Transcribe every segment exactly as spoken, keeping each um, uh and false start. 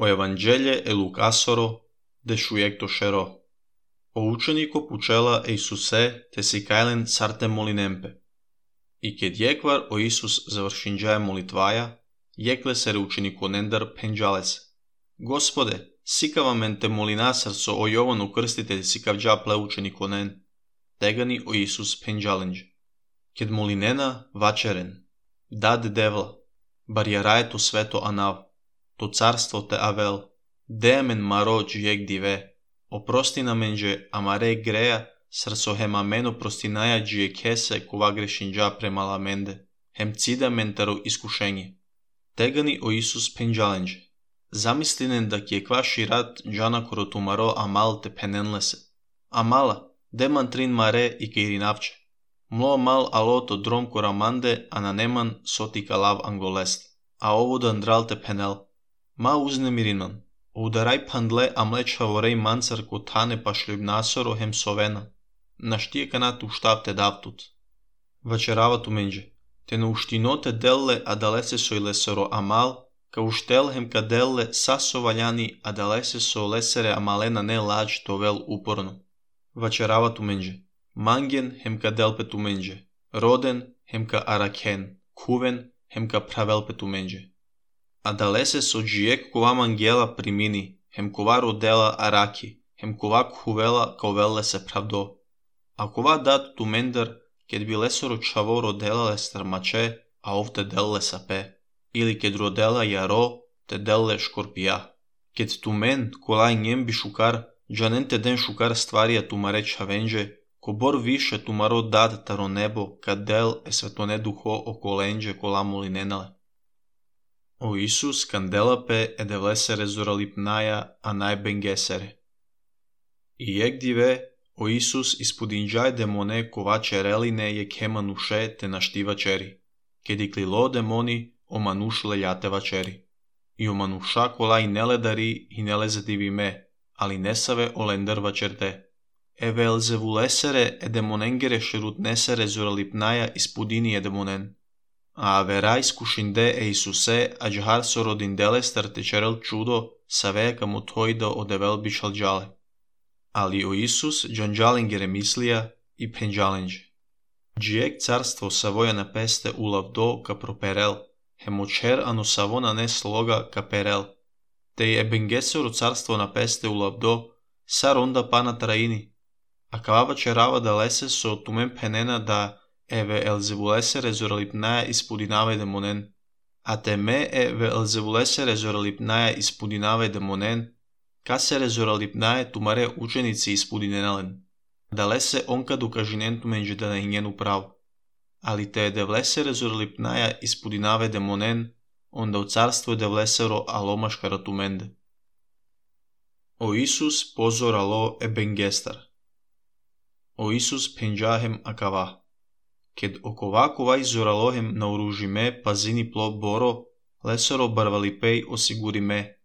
O Evanghelie e Lucasoro de suiecto shero. O učenico pucela e Isuse te si kajlen sarte molinempe. I kad jekvar o Isus završinđaje molitvaja, jekle se učenico nendar penđale se. Gospode, sikava men te molinasar so o Jovanu krstitelj sikavđa ple učenico nen. Tegani o Isus penđalenđe. Ked molinena vačeren, dad devla, bar jaraje to sveto anav, to carstvo te avel, demen maro džijek dive, oprosti na menđe amare greja, srso hem ameno prostinaja džije kese kova grešinđa premala mende, hem cida mentaro iskušenje. Tegani o Isus penđalenđe. Zamislinen da kje kvaši rat džana koro tumaro amal te penenlese. Amala, deman trin mare i keirinavče. Mlo mal aloto drom koramande ananeman sotika lav angolest. A ovo dandral te penel. Ma uznemirinan. Udaraj pandle amleč favorej mancar kotane pa šljubnasoro hem sovena. Naštije kanat uštav te davtut. Vačerava tu menđe. Te no uštinote delle adalese sojlesoro amal, ka uštel hem ka delle saso valjani adalese so lesere amalena ne lađ tovel uporno. Vačerava tu menđe. Mangen hem ka delpe tu menđe. Roden hem ka araken. Kuven hem ka pravelpe tu menđe. Adalese so džijek kova mangela primini, hem kova rodela araki, hem kova kuvela kovelle se pravdo. A kova dat tu mendar, ked bi lesoro čavo rodela lestar mače, a ovte delle sape, ili ked rodela jaro, te delle škorpija. Ked tu men, kolaj njem bi šukar, džanen te den šukar stvarija tu mare čavenđe, ko bor više tu maro dad taro nebo, kad del e svetone duho okolenđe kolamuli nenale. O Isus kandelape edevlesere zoralipnaja a najbengesere. I jek dive, o Isus ispudinđaj demone kovače reline je kemanuše te naštiva čeri, kedikli lo demoni o manušle jateva čeri. I o manuša kolaj neledari i nelezedivi me, ali nesave o lendarva čerte. E velzevulesere e demonengere šerut nesere zoralipnaja ispudini e demonen. A veraj skušinde e Isuse ađhar so rodindele starte čerel čudo savea kamu tojda o devel bišal džale. Ali o Isus džanđalingere mislija i penđalenđe. Džijek carstvo savoja na peste ulav do ka properel, hemočer ano savona ne sloga ka perel. Te je bengesero carstvo na peste ulav do, sar onda pana traini. A kava čerava da lese so tumen penena da eve elzevulesere zoralipnaja ispudinave demonen. A te me eve elzevulesere zoralipnaja ispudinave demonen, kasere zoralipnaje tumare učenici ispudinenalen. Da lese onka dukažinen tumenđe da na njenu prav. Ali te devlesere zoralipnaja ispudinave demonen, onda u carstvo devlesero alomaškara tumende. O Isus pozor alo e bengestar. O Isus penđahem akava. Ked okovakovaj zoralohem nauružime pazini plo boro, lesoro barvalipej osigurime,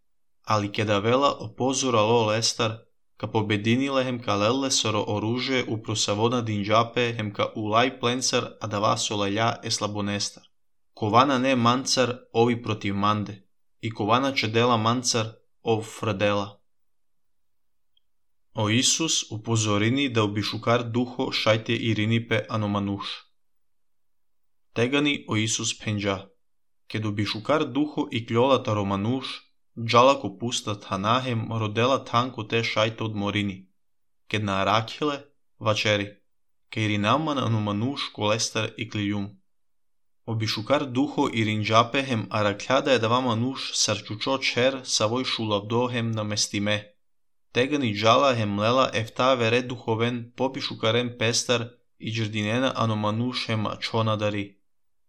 ali keda vela opozoralo lestar, ka pobedinilehem ka lellesoro oruže uprosavona dinđape hem ka ulaj plencar a da vasolelja e slabonestar. Kovana ne mancar ovi protiv mande, i kovana čedela mancar ov frdela. O Isus upozorini da ubišukar duho šajte irinipe anomanuš. Tegani o Isus penđa. Ked ubišukar duho i kljola taromanuš, džalako pusta tanahem rodela tanko te šajte od morini. Ked na arakile, vačeri, keirinaman anomanuš kolestar i kliljum. Obišukar duho i rinđapehem arakljada je dava manuš sarčučo čer savoj šulavdohem na mestime. Tegani džala hem lela efta vere duhoven pobišukaren pestar i džrdinena anomanuš hem čona dari.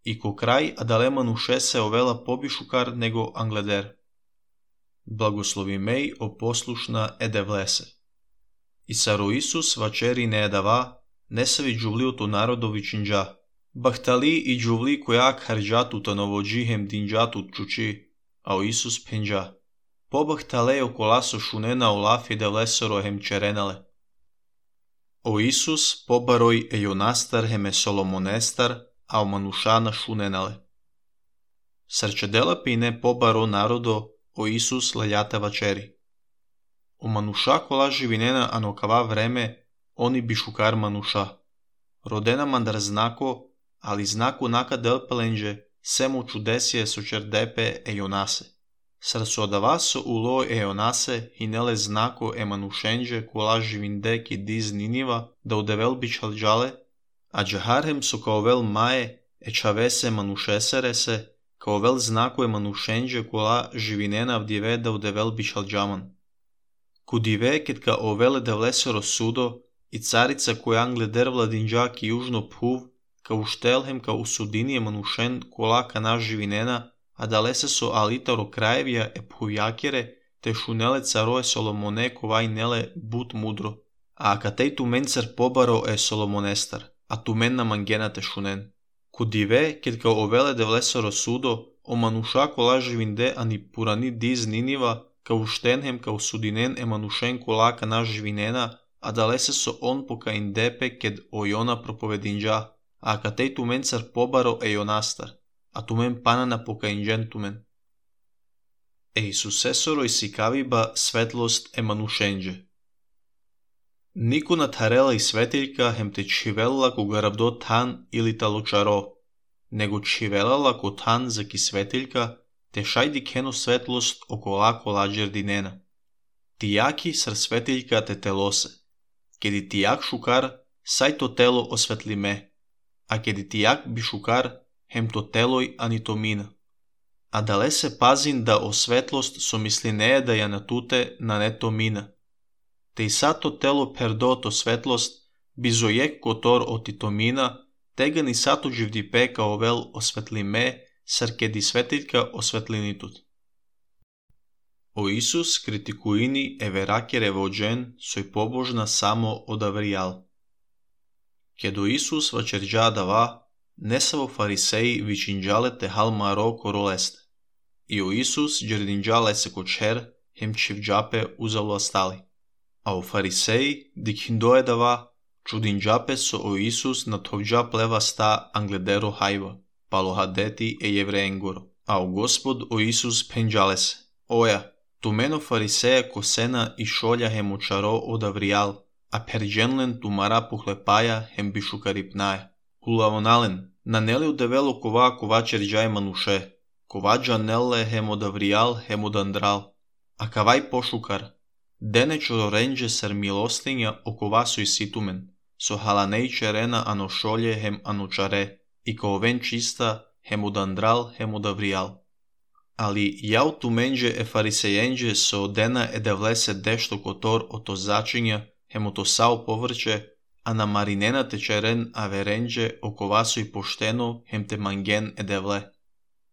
I ko kraj adale manuše se ovela pobišukar nego angleder. Blagoslovi mej o poslušna edevlese. I saro Isus vačeri ne edava, nesavi džuvlio to narodovi činđa. Bahtali i džuvli kojak harđatu ta novođihem dinđatu čuči, a o Isus penđa. Pobahtale okolaso šunena olaf edevlesoro hem čerenale. O Isus pobaroj e jonastar hem e solomonestar, a o manušana šunenale. Srčedela pine pobaro narodo o Isus лелята вачери. O мануша кола живинена анокава време, они бишукар мануша. Родена мандар знако, али знаку нака делпеленже, семо чудесие со чердепе е јонасе. Срсодава со уло е јонасе, хинеле знако е манушенже кола живинде ки диз Нинива, да удевел бичалджале, а джахархем со каовел мае, е чавесе манушесересе, каовел знако е манушенже кола живинена вдиве да удевел бичалджаман. Кудиве кет ка овеле девлесеро судо, и царица која англедер владинджа ки јужно пув, ка уштелхем ка усудиније манушен кола кана живинена, а далесе со алитаро краевија е пујакере, те шунеле царо е Соломоне ковај неле бут мудро, а акатеј туменцер побаро е Соломонестар, а тумен на мангена те шунен. Кудиве кет ка овеле девлесеро судо, о мануша кола живинде ани пурани диз Нинива, ка уштенхем ка усудинен е манушен кола кана живинена, а далесе со он пока индепе кед о Јона проповединджа, а акатеј туменцер побаро е Јонастар, а тумен пана на покаинџен тумен. Е Исусесоро и сикавиба светлост е манушенџе. Нико на тарела и светилка хем те чивелла кога рабдо тан или талочаро, него чивелала ко тан за ки светилка, те шајди кено светлост окола коладжер динена. Тијаки ср светилка те телосе, кеди тијак шукар, сај то тело осветлиме, а кеди тијак би шукар, хем то телој ани то мина. А дале се пазин да о светлост со мислинеја да ја натуте на не то мина. Те и сато тело пердо то светлост, бизојек котор оти то мина, тега ни сато живдипе ка овел осветлиме, сар кеди светилка осветлинитут. О Исус критикуини е веракере воджен, сој побожна само од Авријал. Кедо Исус вачерџа дава, не са во фарисеи вичинџале те хал маро королесте. И о Исус джердинџале се кочер, хем чивџапе узало астали. А о фарисеи дикиндое дава, чудинџапе со о Исус на товџа плева ста англедеро хајва, палохадети е евреенгоро. А о Господ о Исус пенџале се. Оја, тумено фарисеја косена и шолја хем очаро од Авријал, а перџенлен тумара пухлепаја хем бишукарипнаја. Улавонален, на нели удевело кова кова черџај мануше, кова джанелле хем од Авријал хем од Андрал, а кавај пошукар, дене чороренџе сар милостиња окова сој ситумен, со халанеј черена ано шолје хем ано чаре, и каовен чиста хем од Андрал хем од Авријал. Али јао туменџе е фарисејенџе со дена е да влесе дешто котор ото зачиња хем ото сао поврче, а на маринена те черен аверенџе окова сој поштено хем те манген е девле.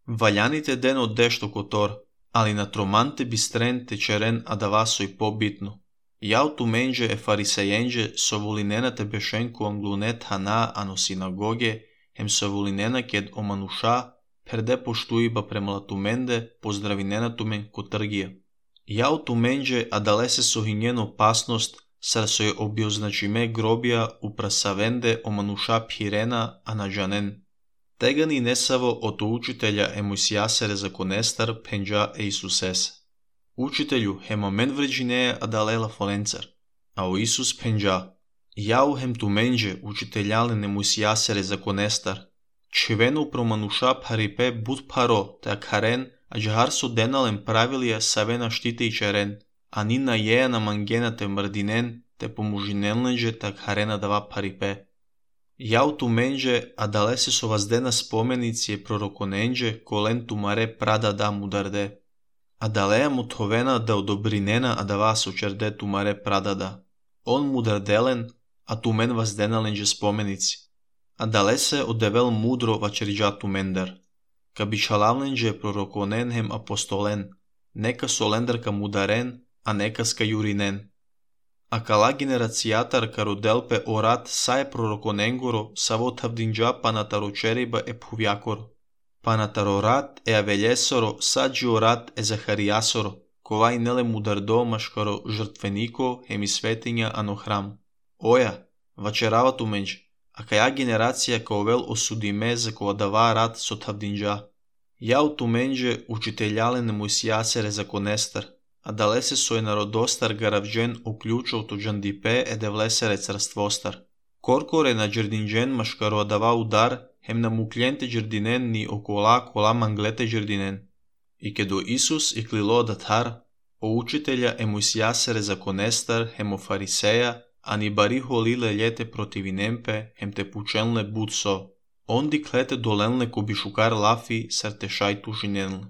Ваљаните ден од дешто котор, али на троманте бистрен те черен адава сој побитно. Јао туменџе е фарисејенџе со волинена те бешенко англунет хана ано синагоге, хем со волинена кед омануша, перде поштуиба премала туменде, поздравинена тумен ко тргија. Јао туменџе адалесе со хињен опасност, сар сој објозначиме гробија упрасавенде омануша пирена, а на джанен. Тега ни несаво ото учителја е Мојсијасере законестар пенџа е Исусесе. Учителју хем амен вреџинеја адалела фоленцар, а о Исус пенџа. Јао хем туменџе учителјален е Мојсијасере законестар. Чивено промануша парипе буд паро, те акарен, а джахар со денален правилија савена штите и черен, а ни на јеја на мангена те мрдинен, те помужинелнеđe так харена дава парипе. Јао туменđe, а далесе со ваздена споменици е пророконенđe, колен тумаре прада да мударде. А далеја мутовена да одобринена, а дава со черде тумаре прада да. Он мударделен, а тумен вазденаленđe споменици. А далесе одевел мудро вачерđа тумендер. Ка бичалавленđe пророконен хем апостолен, нека солендарка мударен, а нека ска јуринен. А кала генерацијатар кароделпе орат са е пророконенгоро, са во тавдинџа панатарочериба е пувјакоро. Панатарорат е авелјесоро, са джиорат е Захаријасоро, ковај неле мудардо машкаро жртвенико хеми светиња ано храм. Оја, вачерава туменџе, а каја генерација каовел осудиме за кога дава рат со тавдинџа. Яу тумендже учителялен Моисијасере законестар, а далесе сој народостар гаравџен уклучил туџандипе е девлесере царствостар. Коркоре на джердинџен машкароадава удар, хем на мукленте джердинен ни окола кола манглете джердинен. И кедо Исус и клило датар, о учителја е Моисијасере законестар, хем о фарисеја, а ни бари холиле лете противинемпе, хем те пученле будсо. Онди клете доленле ко бишукар лафи, сар те шај тушиненле.